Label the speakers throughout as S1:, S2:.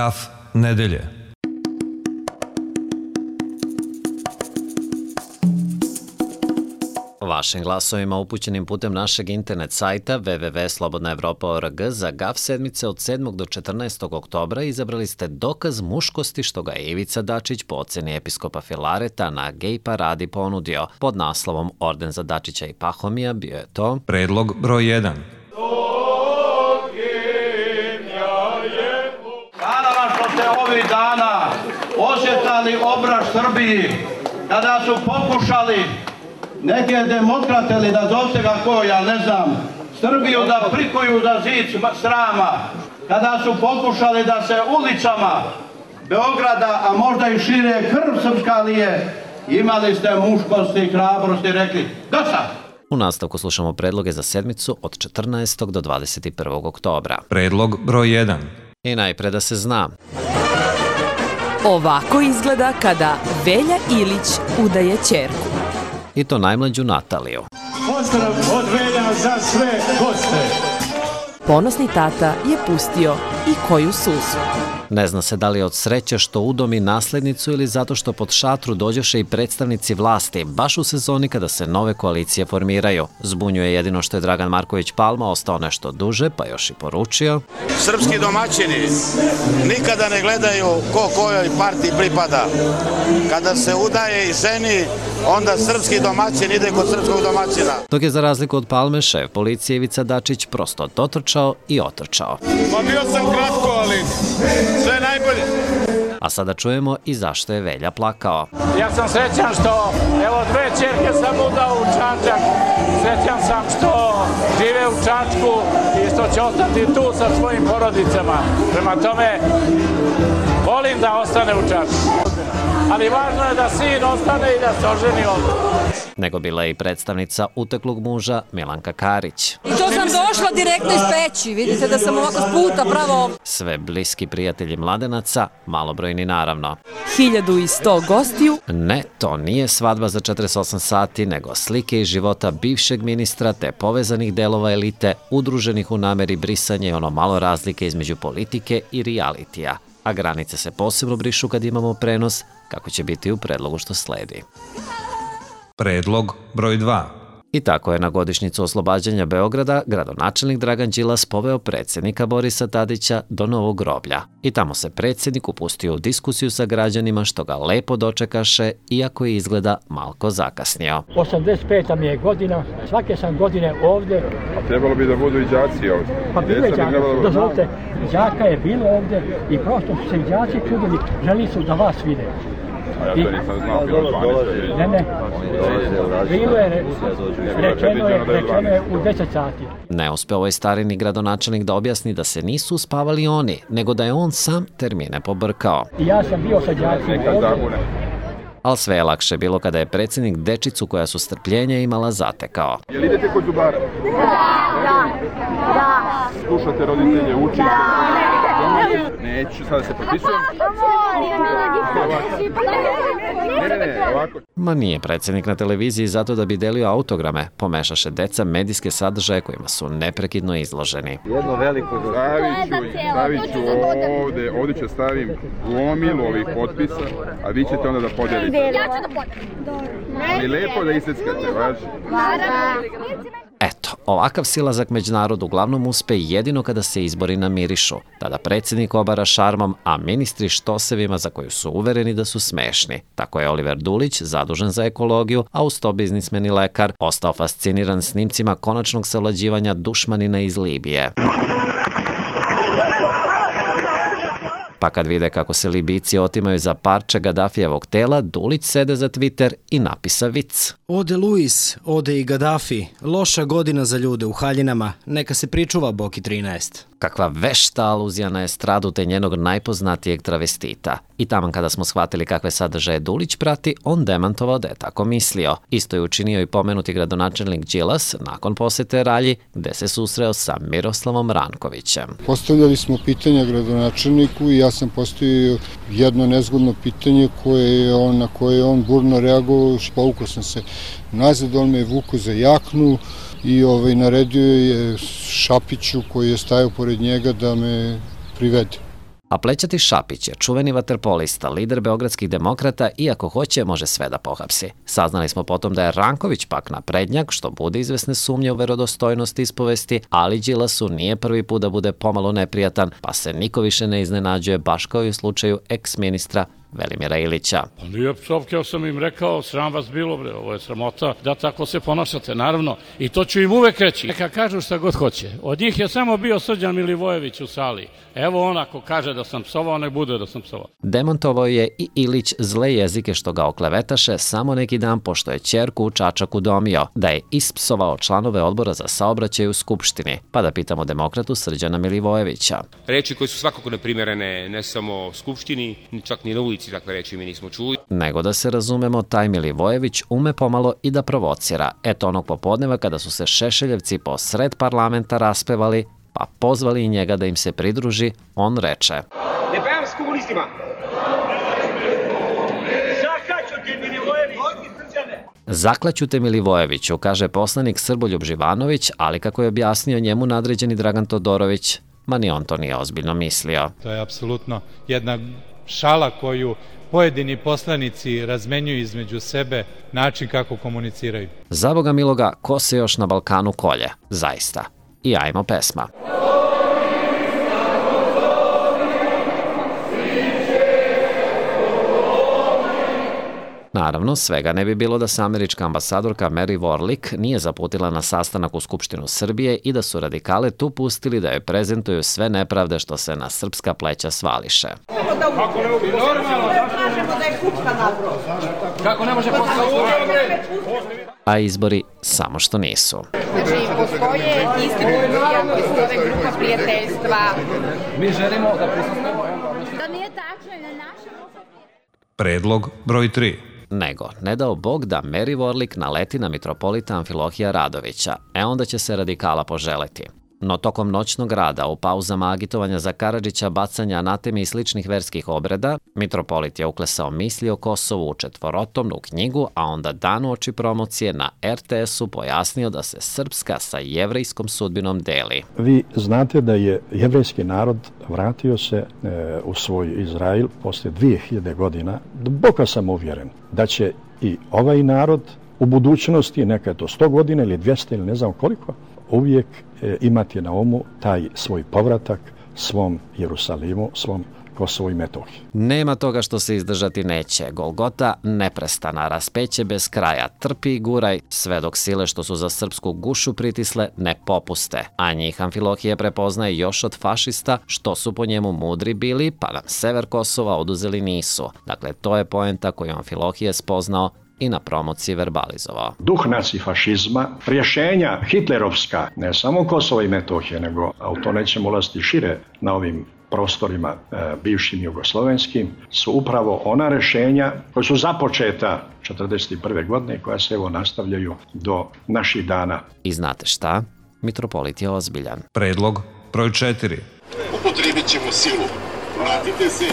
S1: Graf nedelje.
S2: Vašim glasovima upućenim putem našeg internet sajta www.slobodnaevropa.org za GAF sedmice od 7. do 14. oktobra izabrali ste dokaz muškosti što ga je Ivica Dačić po oceni episkopa Filareta na gej paradi ponudio. Pod naslovom Orden za Dačića i Pahomija bio je to
S1: Predlog broj 1.
S3: Hvala vam što ste ovih dana osjetali obraz Srbiji kada su pokušali neke demokrate ili nazovite ga ko, ja ne znam, Srbiju da prikuju za zid srama, kada su pokušali da se ulicama Beograda, a možda i šire krv srpska lije, imali ste muškosti i hrabrosti i rekli dosta.
S2: U nastavku slušamo predloge za sedmicu od 14. do 21. oktobra.
S1: Predlog broj 1.
S2: I najpre da se zna.
S4: Ovako izgleda kada Velja Ilić udaje ćerku.
S2: I to najmlađu Nataliju.
S5: Pozdrav od Velja za sve goste.
S4: Ponosni tata je pustio i koju suzu.
S2: Ne zna se da li je od sreće što udomi naslednicu ili zato što pod šatru dođoše i predstavnici vlasti, baš u sezoni kada se nove koalicije formiraju. Zbunjuje jedino što je Dragan Marković Palma ostao nešto duže, pa još i poručio.
S6: Srpski domaćini nikada ne gledaju ko kojoj partiji pripada. Kada se udaje i ženi, onda srpski domaćin ide kod srpskog domaćina.
S2: Dok je za razliku od Palme, šef policije Ivica Dačić prosto dotrčao i otrčao.
S6: Pa bio sam kratko, ali sve najbolje.
S2: A sada čujemo i zašto je Velja plakao.
S5: Ja sam srećan što, evo, 2 ćerke sam udao u Čačak. Srećan sam što žive u Čačku i što će ostati tu sa svojim porodicama. Prema tome, volim da ostane u Čačku. Ali važno je da sin ostane i da se oženi ovdje.
S2: Nego bila je i predstavnica uteklog muža Milanka Karić.
S7: I to sam došla direktno iz Peći, vidite da sam ovako s puta pravo.
S2: Sve bliski prijatelji mladenaca, malobrojni naravno.
S4: 1100 gostiju.
S2: Ne, to nije svadba za 48 sati, nego slike iz života bivšeg ministra te povezanih delova elite, udruženih u nameri brisanja i ono malo razlike između politike i realitija. A granice se posebno brišu kad imamo prenos, kako će biti u predlogu što sledi.
S1: Predlog broj 2.
S2: I tako je na godišnjicu oslobađanja Beograda gradonačelnik Dragan Đilas poveo predsjednika Borisa Tadića do Novog groblja. I tamo se predsjednik upustio u diskusiju sa građanima što ga lepo dočekaše, iako je izgleda malko zakasnio.
S5: 85. mi je godina, svake sam godine ovdje.
S8: A trebalo bi da budu i đaci ovdje.
S5: Pa bilo je đaka, dozvolite, đaka je bilo ovdje i prosto su se đaci čudili, želi su da vas vide.
S8: A ja to nisam znao, bilo 12.
S5: Ne, bilo je, rečeno je u 10 sati.
S2: Ne uspeo je starini gradonačelnik da objasni da se nisu uspavali oni, nego da je on sam termine pobrkao.
S5: I ja sam bio sa đacima ovdje.
S2: Ali sve je lakše bilo kada je predsjednik dečicu koja su strpljenja imala zatekao.
S8: Jel idete kod zubara? Da. Slušate roditelje, učite? Neću, sada se potpisujem. Ne, ovako.
S2: Ma nije predsjednik na televiziji zato da bi delio autograme, pomešaše deca medijske sadržaje kojima su neprekidno izloženi.
S8: Jedno veliko stavit ću ovdje ću stavim gomilu ovih potpisa, a vi ćete onda da podijelite.
S7: Ja ću da podijelim.
S8: Ali lepo da iseckate, važi?
S2: Eto, ovakav silazak među narod uglavnom uspe jedino kada se izbori namirišu. Tada predsjednik obara šarmom, a ministri štosevima za koju su uvereni da su smešni. Tako je Oliver Dulić, zadužen za ekologiju, a uz to biznismen i lekar, ostao fasciniran snimcima konačnog savlađivanja dušmanina iz Libije. Pa kad vide kako se Libijci otimaju za parče Gadafijevog tela, Dulić sede za Twitter i napisa vic.
S9: Ode Luis, ode i Gaddafi, loša godina za ljude u haljinama, neka se pričuva Boki 13.
S2: Kakva vešta aluzija na estradu te njenog najpoznatijeg travestita. I taman kada smo shvatili kakve sadržaje Dulić prati, on demantovao da je tako mislio. Isto je učinio i pomenuti gradonačelnik Đilas nakon posete Ralji, gde se susreo sa Miroslavom Rankovićem.
S10: Postavljali smo pitanja gradonačelniku i ja sam postavio jedno nezgodno pitanje na koje je on burno reagovao. Povukao sam se nazad, on me je vukao za jaknu i naredio je Šapiću koji je stajao pored njega da me privede.
S2: A Plećati Šapić je čuveni vaterpolista, lider beogradskih demokrata i ako hoće može sve da pohapsi. Saznali smo potom da je Ranković pak naprednjak, što bude izvesne sumnje u verodostojnost ispovesti, ali Đilasu nije prvi put da bude pomalo neprijatan, pa se niko više ne iznenađuje, baš kao i u slučaju eks-ministra Velimira Ilića.
S5: Pa nije psovke, ja sam im rekao, sram vas bilo, bre, ovo je sramota da tako se ponašate, naravno, i to ću im uvek reći. Neka kažu šta god hoće. Od njih je samo bio Srđan Milivojević u sali. Evo on ako kaže da sam psovao, nek bude da sam psovao.
S2: Demontovao je i Ilić zle jezike što ga oklevetaše samo neki dan pošto je ćerku u Čačaku domio, da je ispsovao članove odbora za saobraćaj u Skupštini, pa da pitamo demokratu Srđana Milivojevića.
S11: Reči koje su svakako neprimerene ne samo Skupštini, čak ni na ulici takve reči mi nismo čuli.
S2: Nego da se razumemo, taj Milivojević ume pomalo i da provocira. Eto onog popodneva kada su se Šešeljevci po sred parlamenta raspevali, pa pozvali i njega da im se pridruži, on reče:
S12: Ne pevam s komunistima! Zaklaću te Milivojević!
S2: Zaklaću te Milivojeviću, kaže poslanik Srboljub Živanović, ali kako je objasnio njemu nadređeni Dragan Todorović, ma ni on to nije ozbiljno mislio.
S13: To je apsolutno jedna šala koju pojedini poslanici razmenjuju između sebe, način kako komuniciraju.
S2: Za Boga miloga, ko se još na Balkanu kolje? Zaista. I ajmo pesma. Naravno, svega ne bi bilo da se američka ambasadorka Mary Warlick nije zaputila na sastanak u Skupštinu Srbije i da su radikale tu pustili da joj prezentuju sve nepravde što se na srpska pleća svališe.
S12: Kako ne može
S2: A izbori samo što nisu.
S14: Znači, postoje institucija koje su ove grupa prijateljstva.
S12: Mi želimo da prisustvujemo.
S14: Da nije tačno na našem...
S1: Predlog broj 3.
S2: Nego, ne dao Bog da Mary Warlick naleti na mitropolita Amfilohija Radovića, onda će se radikala poželeti. No tokom noćnog rada, u pauzama agitovanja za Karadžića, bacanja anatemi i sličnih verskih obreda, mitropolit je uklesao misli o Kosovu u četvorotomnu knjigu, a onda dan uoči promocije na RTS-u pojasnio da se srpska sa jevrejskom sudbinom deli.
S15: Vi znate da je jevrejski narod vratio se u svoj Izrael posle 2000 godina. Duboko sam uvjeren da će i ovaj narod u budućnosti, neka je to 100 godina ili 200 ili ne znam koliko, uvijek imati na umu taj svoj povratak svom Jerusalimu, svom Kosovu i Metohiji.
S2: Nema toga što se izdržati neće. Golgota neprestana, raspeće bez kraja, trpi i guraj, sve dok sile što su za srpsku gušu pritisle ne popuste. A njih Amfilohije prepoznaje još od fašista, što su po njemu mudri bili, pa nam sever Kosova oduzeli nisu. Dakle, to je poenta koju Amfilohije spoznao i na promociji verbalizovao.
S15: Duh nacifašizma, rješenja hitlerovska, ne samo Kosova i Metohije, nego, a u to nećemo ulaziti šire na ovim prostorima bivšim jugoslovenskim, su upravo ona rješenja koja su započeta 1941. godine i koja se evo nastavljaju do naših dana.
S2: I znate šta? Mitropolit je ozbiljan.
S1: Predlog broj 4.
S16: Upotrijebit ćemo silu. Vratite se.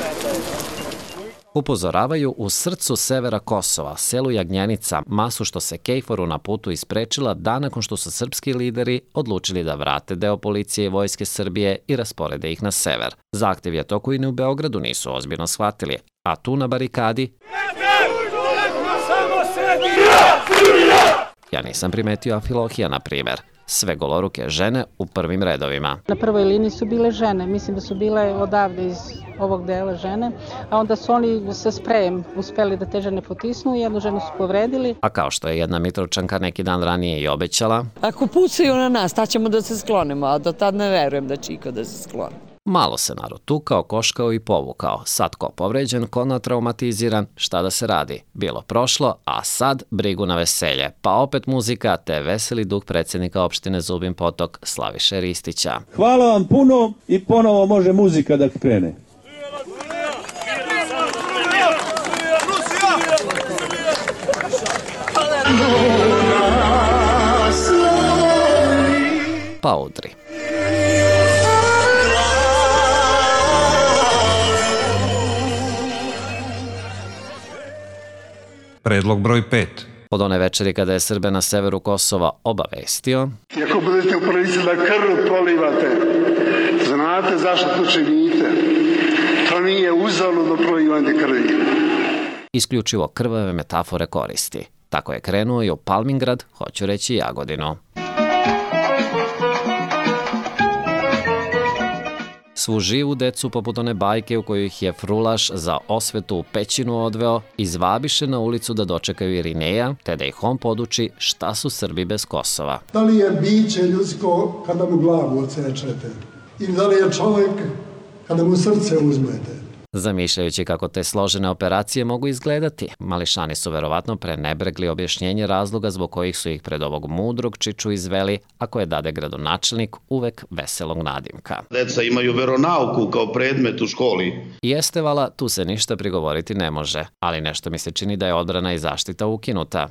S2: Upozoravaju u srcu severa Kosova, selu Jagnjenica, masu što se Kejforu na putu isprečila dan nakon što su srpski lideri odlučili da vrate deo policije i vojske Srbije i rasporede ih na sever. Zahtev je to koji ni u Beogradu nisu ozbiljno shvatili, a tu na barikadi... Ja nisam primetio Amfilohija, na primjer. Sve goloruke žene u prvim redovima.
S17: Na prvoj liniji su bile žene, mislim da su bile odavde iz ovog dela žene, a onda su oni sa sprejem uspeli da te žene potisnu i jednu ženu su povredili.
S2: A kao što je jedna Mitrovčanka neki dan ranije i obećala...
S18: Ako pucaju na nas, tad ćemo da se sklonimo, a do tad ne verujem da će iko da se skloni.
S2: Malo se narod tukao, koškao i povukao. Sad ko povređen, ko natraumatiziran, šta da se radi? Bilo prošlo, a sad brigu na veselje. Pa opet muzika, te veseli duh predsjednika opštine Zubin Potok, Slaviše Ristića.
S19: Hvala vam puno i ponovo može muzika da krene.
S2: Pa udri.
S1: Predlog broj 5.
S2: Od one večeri kada je Srbe na severu Kosova obavestio...
S16: I ako budete u prilici da krv prolivate, znate zašto to činite. da nije uzaludno prolivanje krvi.
S2: Isključivo krvave metafore koristi. Tako je krenuo i u Palmingrad, hoću reći Jagodinu. Svu živu decu, poput one bajke u kojoj ih je frulaš za osvetu u pećinu odveo, izvabiše na ulicu da dočekaju Irineja, te da ih on poduči šta su Srbi bez Kosova.
S20: Da li je biće ljudsko kada mu glavu odsečete? Ili da li je čovjek kada mu srce uzmete?
S2: Zamišljajući kako te složene operacije mogu izgledati, mališani su verovatno prenebregli objašnjenje razloga zbog kojih su ih pred ovog mudrog čiču izveli, a koje dade gradonačelnik uvek veselog nadimka.
S3: Deca imaju veronauku kao predmet u školi.
S2: Jeste vala, tu se ništa prigovoriti ne može, ali nešto mi se čini da je odbrana i zaštita ukinuta.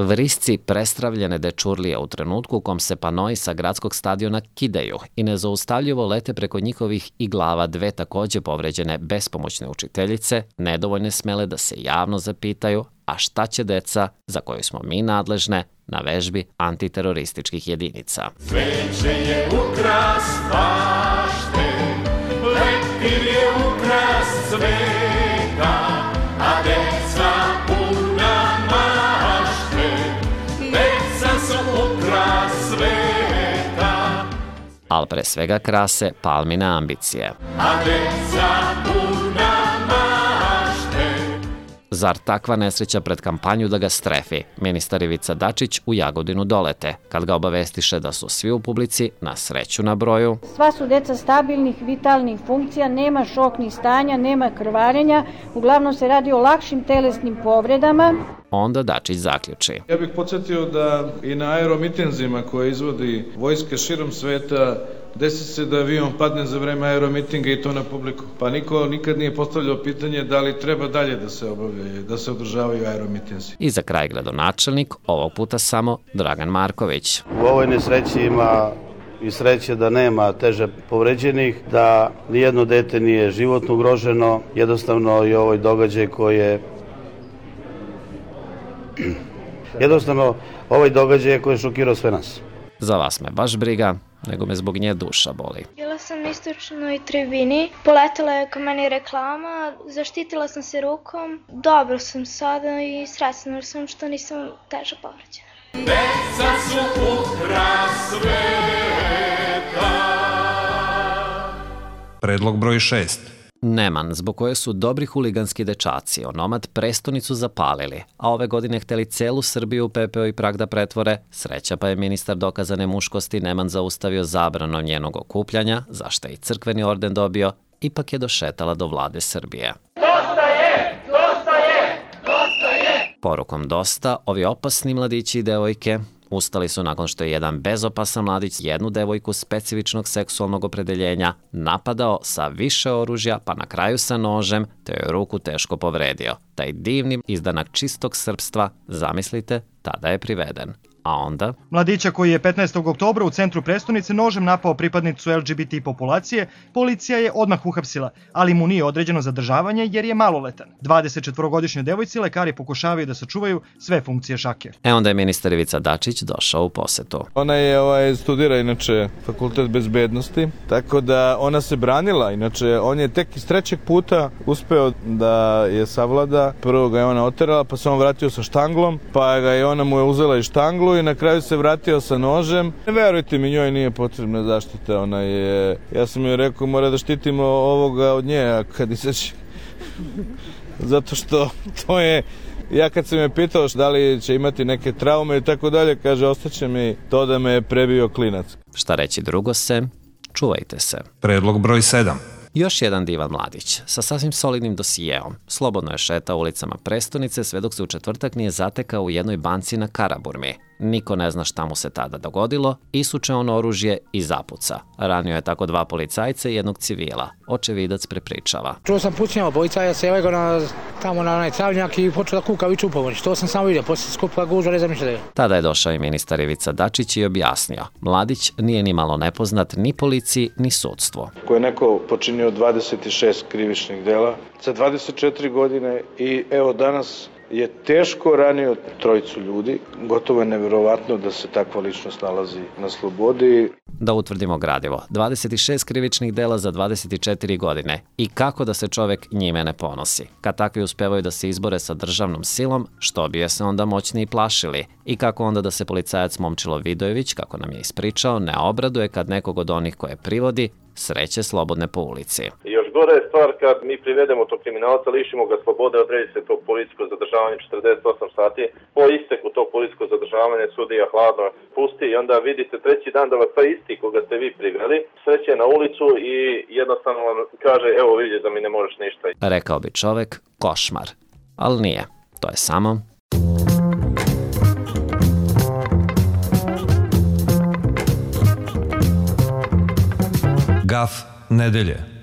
S2: Vrisci prestravljene dečurlije u trenutku u kom se panoi sa gradskog stadiona kidaju i nezaustavljivo lete preko njihovih i glava dve takođe povređene bespomoćne učiteljice, nedovoljne smele da se javno zapitaju, a šta će deca, za koju smo mi nadležne, na vežbi antiterorističkih jedinica.
S21: Sveće je ukras bašte, leptir je ukras sveta, a deca puna mašte, deca su ukras sveta.
S2: Ali pre svega krase Palmine ambicije.
S21: A deca puna mašte.
S2: Zar takva nesreća pred kampanju da ga strefi? Ministar Ivica Dačić u Jagodinu dolete, kad ga obavestiše da su svi u publici na sreću na broju.
S22: Sva su deca stabilnih, vitalnih funkcija, nema šoknih stanja, nema krvarenja, uglavnom se radi o lakšim telesnim povredama.
S2: Onda Dačić zaključi.
S23: Ja bih podsjetio da i na aeromitinzima koje izvodi vojske širom sveta desi se da avion padne za vreme aeromitinga i to na publiku. Pa niko nikad nije postavljao pitanje da li treba dalje da se obavljaju, da se održavaju aeromitinzi.
S2: I za kraj gradonačelnik, ovog puta samo Dragan Marković.
S6: U ovoj nesreći ima i sreće da nema teže povređenih, da nijedno dete nije životno ugroženo, jednostavno i ovaj događaj koji je šokirao sve nas.
S2: Za vas me baš briga, nego me zbog nje duša boli.
S24: Bila sam na istočnoj tribini, poletela je ka meni reklama, zaštitila sam se rukom, dobro sam sada i srećna sam što nisam teže povređena.
S21: Deca su ukras sveta.
S1: Predlog broj 6.
S2: Neman, zbog koje su dobri huliganski dečaci onomad prestonicu zapalili, a ove godine hteli celu Srbiju u pepeo i prah da pretvore, sreća pa je ministar dokazane muškosti Neman zaustavio zabranom njenog okupljanja, zašto je i crkveni orden dobio, ipak je došetala do vlade Srbije.
S21: Dosta je! Dosta je! Dosta je!
S2: Porukom dosta, ovi opasni mladići i devojke ustali su nakon što je jedan bezopasan mladić jednu devojku specifičnog seksualnog opredeljenja napadao sa više oružja, pa na kraju sa nožem, te joj ruku teško povredio. Taj divni izdanak čistog srpstva, zamislite, tada je priveden. A onda?
S25: Mladića koji je 15. oktobra u centru prestonice nožem napao pripadnicu LGBT populacije, policija je odmah uhapsila, ali mu nije određeno zadržavanje jer je maloletan. 24-godišnjoj devojci lekari pokušavaju da sačuvaju sve funkcije šake.
S2: Onda je ministar Ivica Dačić došao u posetu.
S23: Ona je studira inače fakultet bezbednosti, tako da ona se branila, inače on je tek iz trećeg puta uspeo da je savlada. Prvo ga je ona oterala, pa se on vratio sa štanglom, pa ga je ona mu je uzela i štanglu i na kraju se vratio sa nožem. Ne verujte mi, njoj nije potrebna zaštita, ja sam joj rekao mora da štitimo ovoga od nje, a kad izaći, zato što to je, ja kad sam je pitao da li će imati neke traume i tako dalje, kaže ostaće mi to da me je prebio klinac.
S2: Šta reći drugo se, čuvajte se.
S1: Predlog broj 7.
S2: Još jedan divan mladić, sa sasvim solidnim dosijeom. Slobodno je šetao ulicama prestonice sve dok se u četvrtak nije zatekao u jednoj banci na Karaburmi. Niko ne zna šta mu se tada dogodilo, isuče on oružje i zapuca. Ranio je tako 2 policajca i 1 civila. Očevidac prepričava.
S26: Čuo sam pucnjava, policajac se legao tamo na onaj travnjak i počeo da kuka viču u pomoć. To sam samo vidio, poslije skupa gužva, ne znam ništa da je.
S2: Tada je došao i ministar Ivica Dačić i objasnio. Mladić nije ni malo nepoznat ni policiji, ni sudstvu.
S23: Ko je neko počinio 26 krivičnih dela za 24 godine i evo danas je teško ranio 3 ljudi. Gotovo je neverovatno da se takva ličnost nalazi na slobodi.
S2: Da utvrdimo gradivo, 26 krivičnih dela za 24 godine i kako da se čovek njime ne ponosi. Kad takvi uspevaju da se izbore sa državnom silom, što bi je se onda moćniji plašili? I kako onda da se policajac Momčilo Vidojević, kako nam je ispričao, ne obraduje kad nekog od onih koje privodi sreće slobodne po ulici.
S4: Još gore je stvar kad mi privedemo tog kriminalca, lišimo ga slobode, odredi se to policijsko zadržavanje 48 sati. Po isteku tog policijskog zadržavanja sudija hladno pusti i onda vidite 3. dan da vas taj isti koga ste vi priveli sreće na ulicu i jednostavno vam kaže evo vidi da mi ne možeš ništa.
S2: Rekao bi čovek košmar, ali nije. To je samo
S1: Gaf nedelje.